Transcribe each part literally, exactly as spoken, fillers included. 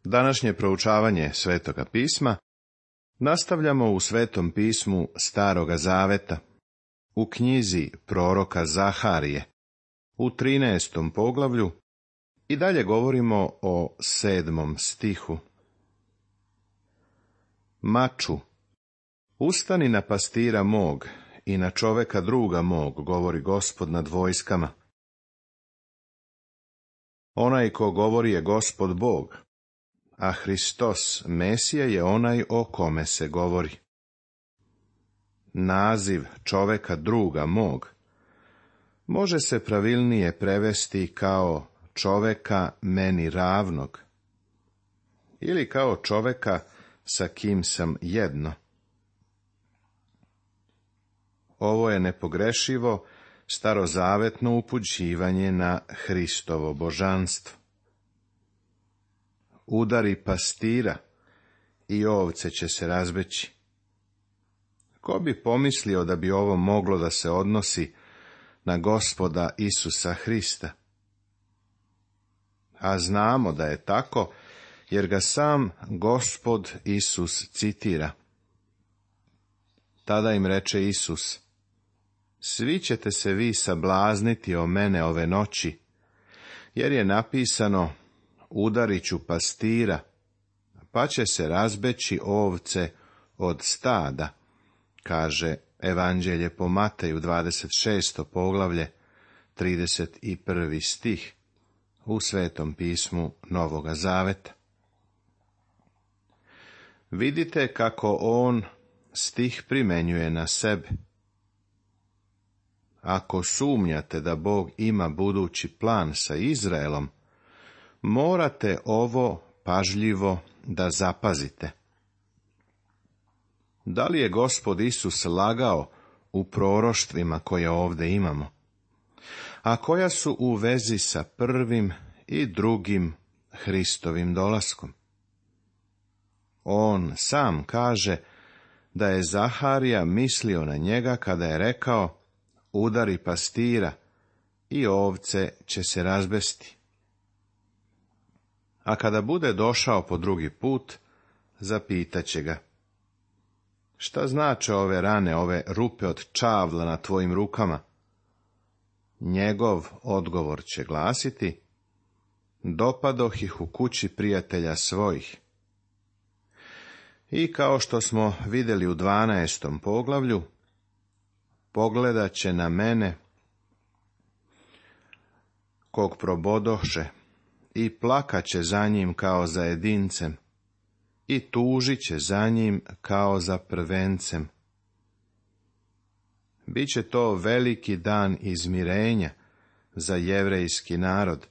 Današnje proučavanje Svetoga pisma nastavljamo u Svetom pismu Staroga zaveta, u knjizi proroka Zaharije, u trinaestom poglavlju, i dalje govorimo o sedmom stihu. Maču, ustani na pastira mog i na čoveka druga mog, govori Gospod nad vojskama. Onaj ko govori je Gospod Bog, a Hristos, Mesija, je onaj o kome se govori. Naziv čoveka druga mog može se pravilnije prevesti kao čoveka meni ravnog ili kao čoveka sa kim sam jedno. Ovo je nepogrešivo starozavetno upućivanje na Hristovo božanstvo. Udari pastira i ovce će se razbeći. Ko bi pomislio da bi ovo moglo da se odnosi na Gospoda Isusa Hrista? A znamo da je tako, jer ga sam Gospod Isus citira. Tada im reče Isus: svi ćete se vi sablazniti o mene ove noći, jer je napisano: udarit ću pastira, pa će se razbeći ovce od stada, kaže Evanđelje po Mateju, dvadeset šesto poglavlje, trideset prvi stih, u Svetom pismu Novoga zaveta. Vidite kako on stih primenjuje na sebe. Ako sumnjate da Bog ima budući plan sa Izraelom, morate ovo pažljivo da zapazite. Da li je Gospod Isus lagao u proroštvima koje ovdje imamo, a koja su u vezi sa prvim i drugim Hristovim dolaskom? On sam kaže da je Zaharija mislio na njega kada je rekao: udari pastira i ovce će se razbesti. A kada bude došao po drugi put, zapitaće ga: šta znače ove rane, ove rupe od čavla na tvojim rukama? Njegov odgovor će glasiti: dopadoh ih u kući prijatelja svojih. I kao što smo vidjeli u dvanaestom poglavlju, pogledat će na mene, kog probodoše, i plakat će za njim kao za jedincem, i tužit će za njim kao za prvencem. Biće to veliki dan izmirenja za jevrejski narod,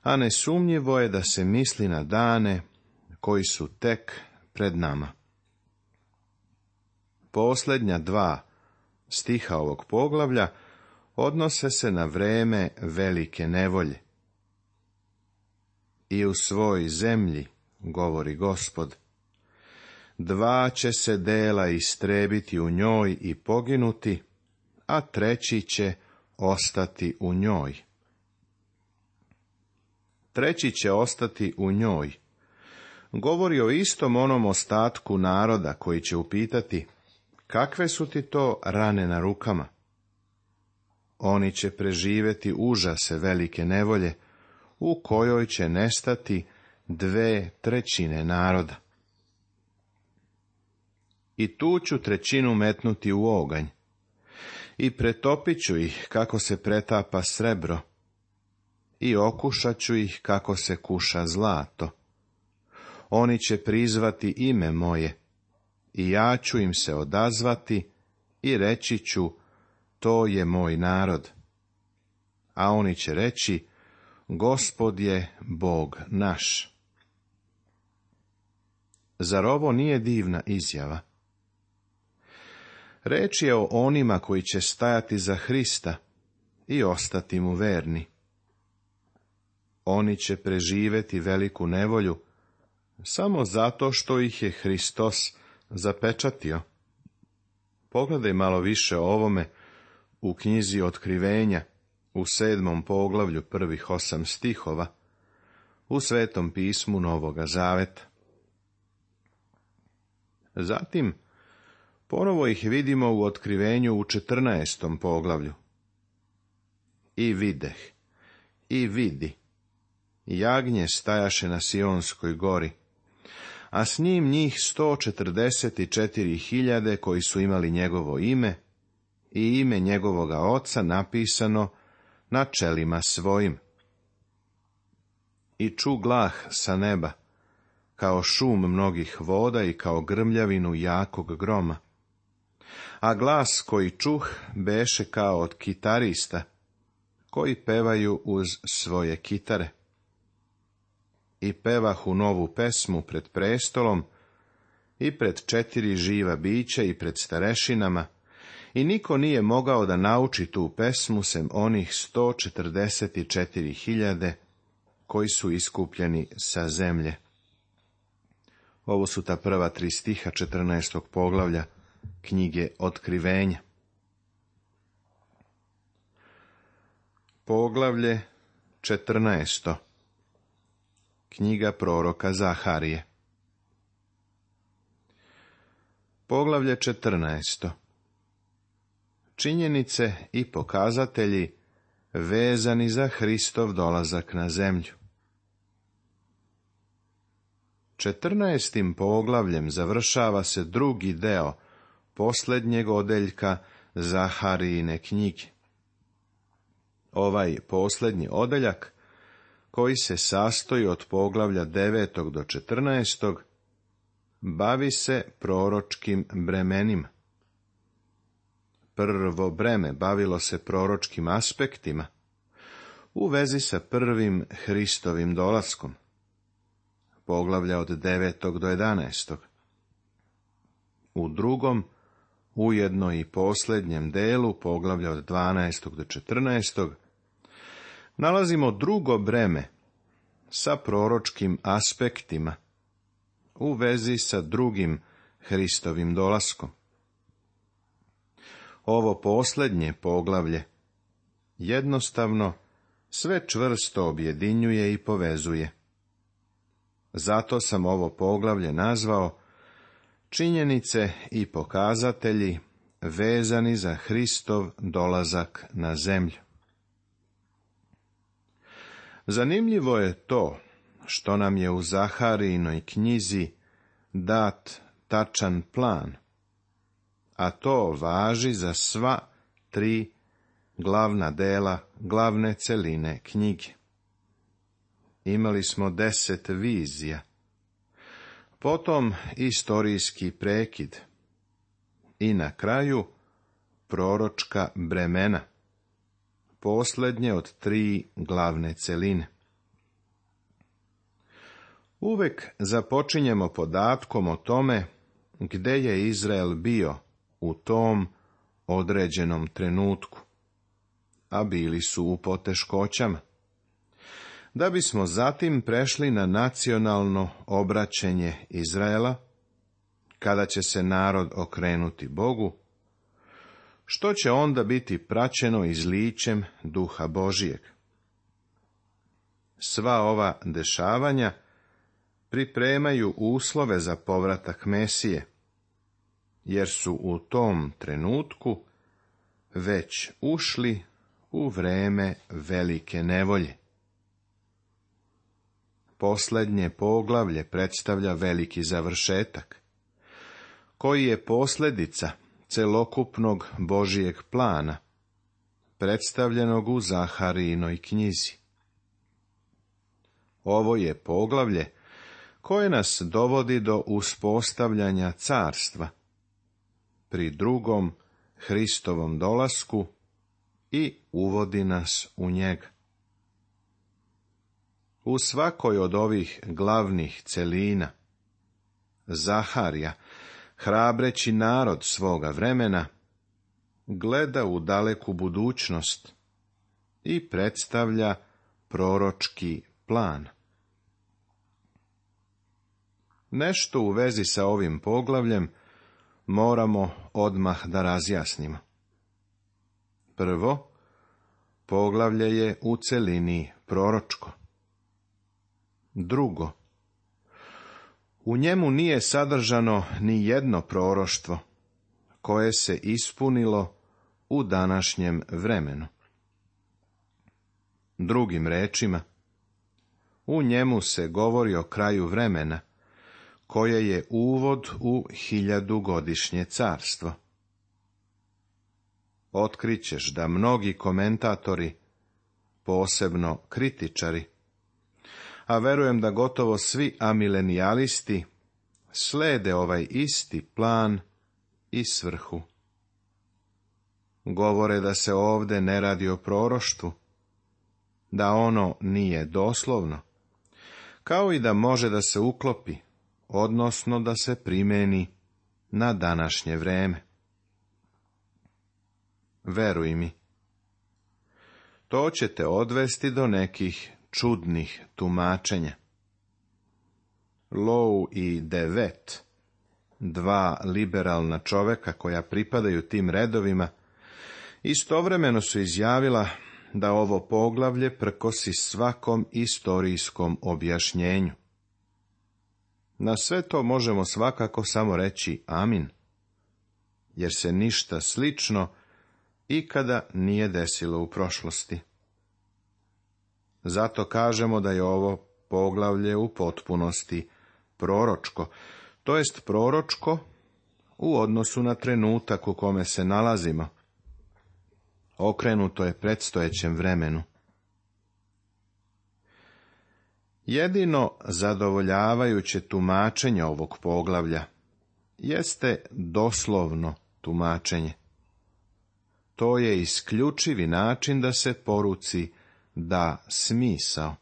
a nesumnjivo je da se misli na dane koji su tek pred nama. Posljednja dva stiha ovog poglavlja odnose se na vreme velike nevolje. I u svoj zemlji, govori Gospod, dva će se dela istrebiti u njoj i poginuti, a treći će ostati u njoj. Treći će ostati u njoj govori o istom onom ostatku naroda koji će upitati: kakve su ti to rane na rukama? Oni će preživjeti užase velike nevolje, u kojoj će nestati dve trećine naroda. I tu ću trećinu metnuti u oganj, i pretopit ću ih kako se pretapa srebro, i okušat ću ih kako se kuša zlato. Oni će prizvati ime moje, i ja ću im se odazvati i reći ću: to je moj narod. A oni će reći: Gospod je Bog naš. Zar ovo nije divna izjava? Reč je o onima koji će stajati za Hrista i ostati mu verni. Oni će preživjeti veliku nevolju samo zato što ih je Hristos zapečatio. Pogledaj malo više o ovome u knjizi Otkrivenja, u sedmom poglavlju prvih osam stihova. u Svetom pismu Novoga Zaveta. Zatim, ponovo ih vidimo u otkrivenju u četrnaestom poglavlju. I videh, i vidi, jagnje stajaše na Sionskoj gori, a s njim njih sto četrdeset četiri hiljade koji su imali njegovo ime i ime njegovoga oca napisano na čelima svojim. I ču glah sa neba, kao šum mnogih voda i kao grmljavinu jakog groma. A glas koji čuh beše kao od kitarista, koji pevaju uz svoje kitare. I pevahu novu pesmu pred prestolom i pred četiri živa bića i pred starešinama, i niko nije mogao da nauči tu pesmu sem onih sto četrdeset četiri hiljade koji su iskupljeni sa zemlje. Ovo su ta prva tri stiha četrnaestog poglavlja knjige Otkrivenja. Poglavlje četrnaesto. Knjiga proroka Zaharije. Poglavlje četrnaesto. Činjenice i pokazatelji vezani za Hristov dolazak na zemlju. Četrnaestim poglavljem završava se drugi deo posljednjeg odeljka Zaharijine knjige. Ovaj posljednji odeljak, koji se sastoji od poglavlja devetog do četrnaestog, bavi se proročkim bremenima. Prvo breme bavilo se proročkim aspektima u vezi sa prvim Hristovim dolaskom. Poglavlja od devetog do jedanaestog. U drugom, ujedno i posljednjem delu, poglavlja od dvanaestog do četrnaestog, nalazimo drugo breme sa proročkim aspektima u vezi sa drugim Hristovim dolaskom. Ovo posljednje poglavlje jednostavno sve čvrsto objedinjuje i povezuje. Zato sam ovo poglavlje nazvao Činjenice i pokazatelji vezani za Hristov dolazak na zemlju. Zanimljivo je to što nam je u Zaharijinoj knjizi dat tačan plan, a to važi za sva tri glavna dela, glavne celine knjige. Imali smo deset vizija, potom istorijski prekid i na kraju proročka bremena, posljednje od tri glavne celine. Uvek započinjemo podatkom o tome gde je Izrael bio u tom određenom trenutku, a bili su u poteškoćama, da bismo zatim prešli na nacionalno obraćenje Izraela, kada će se narod okrenuti Bogu, što će onda biti praćeno izlićem Duha Božijeg. Sva ova dešavanja pripremaju uslove za povratak Mesije, jer su u tom trenutku već ušli u vreme velike nevolje. Posljednje poglavlje predstavlja veliki završetak, koji je posljedica celokupnog Božijeg plana, predstavljenog u Zaharijinoj knjizi. Ovo je poglavlje koje nas dovodi do uspostavljanja carstva pri drugom Hristovom dolasku i uvodi nas u njega. U svakoj od ovih glavnih celina Zaharija, hrabreći narod svoga vremena, gleda u daleku budućnost i predstavlja proročki plan. Nešto u vezi sa ovim poglavljem moramo odmah da razjasnimo. Prvo, poglavlje je u celini proročko. Drugo, u njemu nije sadržano ni jedno proroštvo koje se ispunilo u današnjem vremenu. Drugim rečima, u njemu se govori o kraju vremena, koje je uvod u hiljadugodišnje carstvo. Otkrićeš da mnogi komentatori, posebno kritičari, a verujem da gotovo svi amilenijalisti slede ovaj isti plan i svrhu. Govore da se ovde ne radi o proroštvu, da ono nije doslovno, kao i da može da se uklopi, odnosno da se primeni na današnje vreme. Veruj mi, to će te odvesti do nekih čudnih tumačenja. Low i Devet, dva liberalna čoveka koja pripadaju tim redovima, istovremeno su izjavila da ovo poglavlje prkosi svakom istorijskom objašnjenju. Na sve to možemo svakako samo reći amin, jer se ništa slično ikada nije desilo u prošlosti. Zato kažemo da je ovo poglavlje u potpunosti proročko, to jest proročko u odnosu na trenutak u kome se nalazimo. Okrenuto je predstojećem vremenu. Jedino zadovoljavajuće tumačenje ovog poglavlja jeste doslovno tumačenje. To je isključivi način da se poruci da smisao.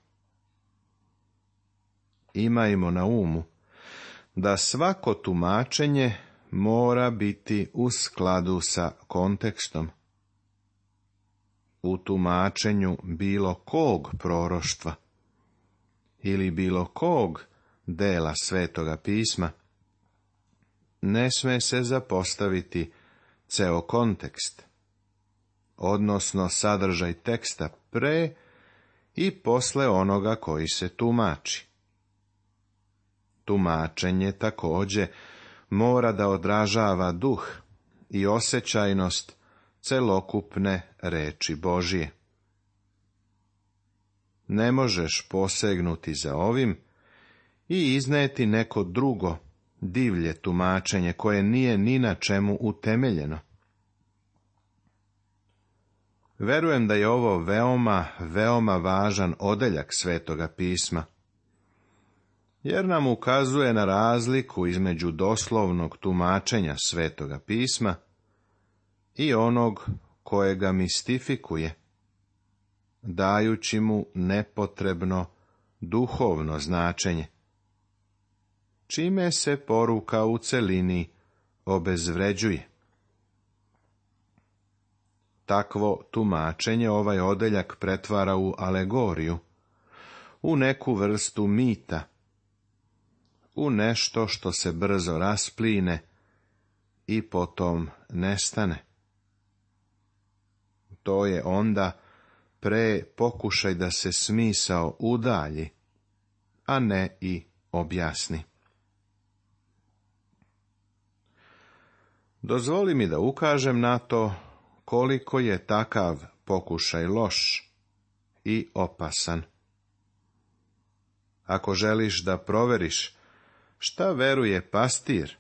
Imajmo na umu da svako tumačenje mora biti u skladu sa kontekstom. U tumačenju bilo kog proroštva ili bilo kog dela Svetoga pisma ne sme se zapostaviti ceo kontekst, odnosno sadržaj teksta pre i posle onoga koji se tumači. Tumačenje takođe mora da odražava duh i osjećajnost celokupne reči Božije. Ne možeš posegnuti za ovim i izneti neko drugo, divlje tumačenje koje nije ni na čemu utemeljeno. Verujem da je ovo veoma, veoma važan odeljak Svetoga pisma, jer nam ukazuje na razliku između doslovnog tumačenja Svetoga pisma i onog koje ga mistifikuje, dajući mu nepotrebno duhovno značenje, čime se poruka u celini obezvređuje. Takvo tumačenje ovaj odeljak pretvara u alegoriju, u neku vrstu mita, u nešto što se brzo raspline i potom nestane. To je onda pre pokušaj da se smisao udalji, a ne i objasni. Dozvoli mi da ukažem na to koliko je takav pokušaj loš i opasan. Ako želiš da proveriš šta veruje pastir,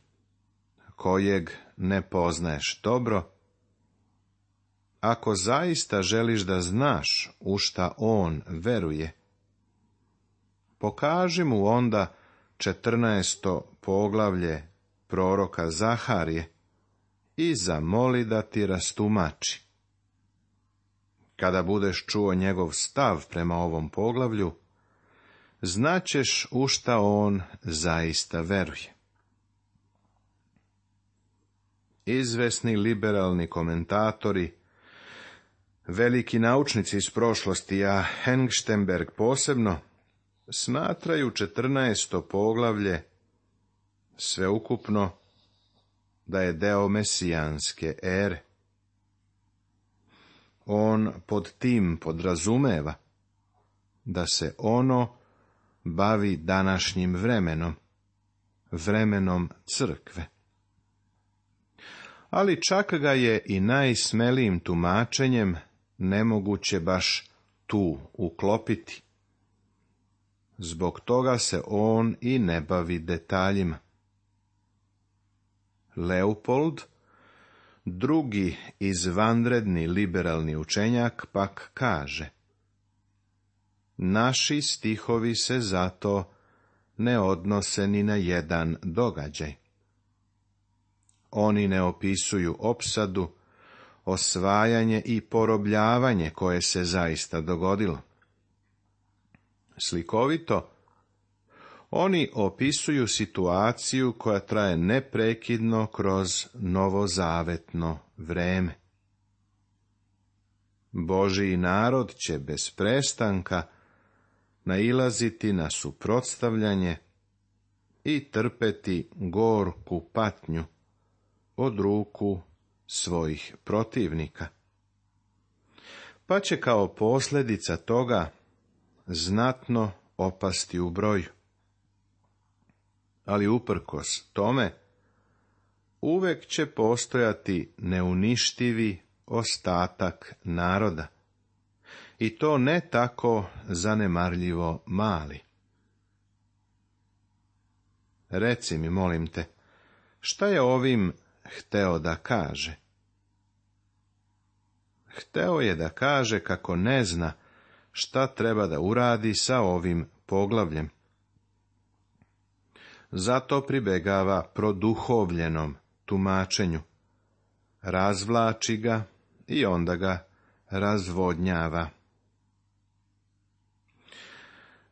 kojeg ne poznaješ dobro, ako zaista želiš da znaš u šta on veruje, pokaži mu onda četrnaesto poglavlje proroka Zaharije i zamoli da ti rastumači. Kada budeš čuo njegov stav prema ovom poglavlju, znaćeš u šta on zaista veruje. Izvesni liberalni komentatori, veliki naučnici iz prošlosti, a Hengstenberg posebno, smatraju četrnaesto poglavlje sveukupno da je deo mesijanske ere. On pod tim podrazumeva da se ono bavi današnjim vremenom, vremenom crkve. Ali čak ga je i najsmelijim tumačenjem nemoguće baš tu uklopiti. Zbog toga se on i ne bavi detaljima. Leopold, drugi izvanredni liberalni učenjak, pak kaže: naši stihovi se zato ne odnose ni na jedan događaj. Oni ne opisuju opsadu, osvajanje i porobljavanje koje se zaista dogodilo. Slikovito, oni opisuju situaciju koja traje neprekidno kroz novozavetno vreme. Božji narod će bez prestanka nailaziti na suprotstavljanje i trpeti gorku patnju od ruku svojih protivnika. Pa će kao posljedica toga znatno opasti u broju. Ali uprkos tome, uvek će postojati neuništivi ostatak naroda. I to ne tako zanemarljivo mali. Reci mi, molim te, šta je ovim hteo da kaže? Hteo je da kaže kako ne zna šta treba da uradi sa ovim poglavljem. Zato pribegava produhovljenom tumačenju, razvlači ga i onda ga razvodnjava.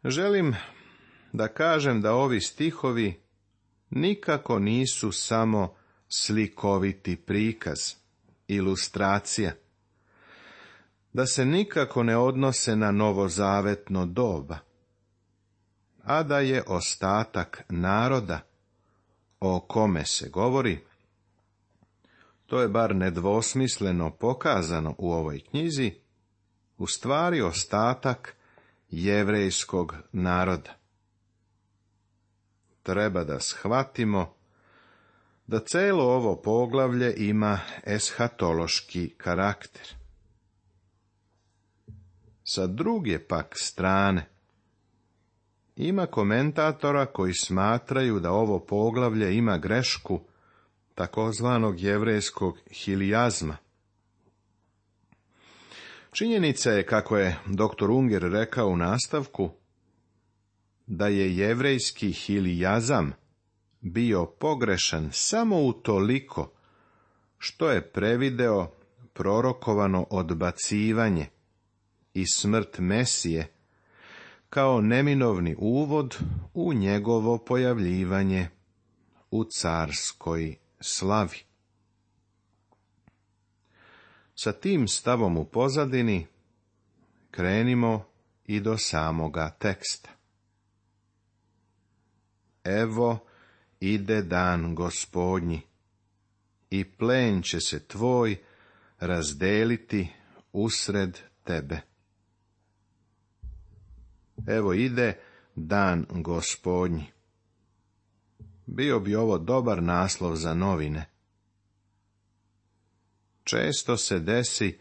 Želim da kažem da ovi stihovi nikako nisu samo slikoviti prikaz, ilustracija, da se nikako ne odnose na novozavetno doba, a da je ostatak naroda o kome se govori, to je bar nedvosmisleno pokazano u ovoj knjizi, u stvari ostatak jevrejskog naroda. Treba da shvatimo da celo ovo poglavlje ima eshatološki karakter. Sa druge pak strane, ima komentatora koji smatraju da ovo poglavlje ima grešku takozvanog jevrejskog hilijazma. Činjenica je, kako je doktor Unger rekao u nastavku, da je jevrejski hilijazam bio pogrešan samo utoliko što je prevideo prorokovano odbacivanje i smrt Mesije kao neminovni uvod u njegovo pojavljivanje u carskoj slavi. Sa tim stavom u pozadini krenimo i do samoga teksta. Evo ide dan Gospodnji, i plen će se tvoj razdeliti usred tebe. Evo ide dan Gospodnji. Bio bi ovo dobar naslov za novine. Često se desi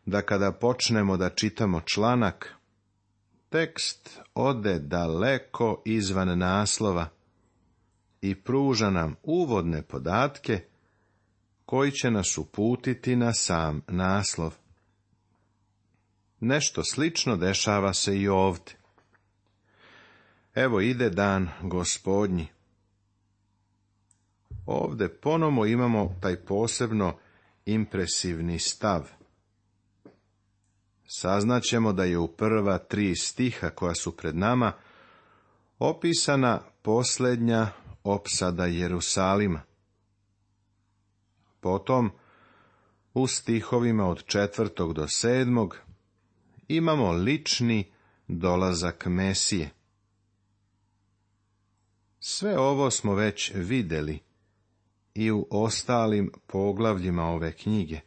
da kada počnemo da čitamo članak, tekst ode daleko izvan naslova i pruža nam uvodne podatke koji će nas uputiti na sam naslov. Nešto slično dešava se i ovdje. Evo ide dan Gospodnji. Ovdje ponovo imamo taj posebno impresivni stav. Saznaćemo da je u prva tri stiha koja su pred nama opisana posljednja opsada Jerusalima. Potom, u stihovima od četvrtog do sedmog, imamo lični dolazak Mesije. Sve ovo smo već vidjeli i u ostalim poglavljima ove knjige.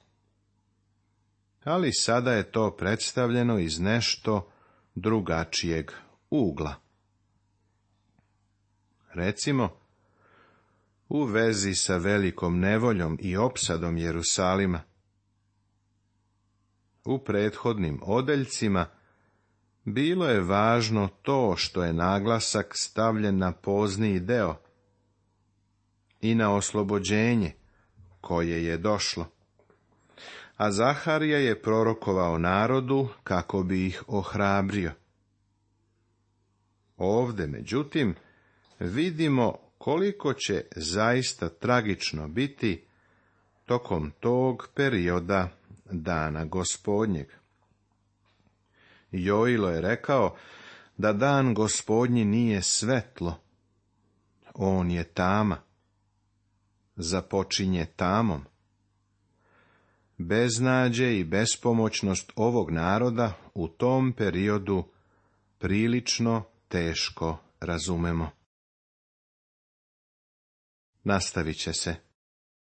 Ali sada je to predstavljeno iz nešto drugačijeg ugla. recimo, u vezi sa velikom nevoljom i opsadom Jerusalima. U prethodnim odeljcima bilo je važno to što je naglasak stavljen na pozniji deo i na oslobođenje koje je došlo. A Zaharija je prorokovao narodu kako bi ih ohrabrio. Ovde, međutim, vidimo koliko će zaista tragično biti tokom tog perioda dana Gospodnjeg. Joilo je rekao da dan Gospodnji nije svetlo, on je tama, započinje tamom. Beznađe i bespomoćnost ovog naroda u tom periodu prilično teško razumemo. Nastavit će se.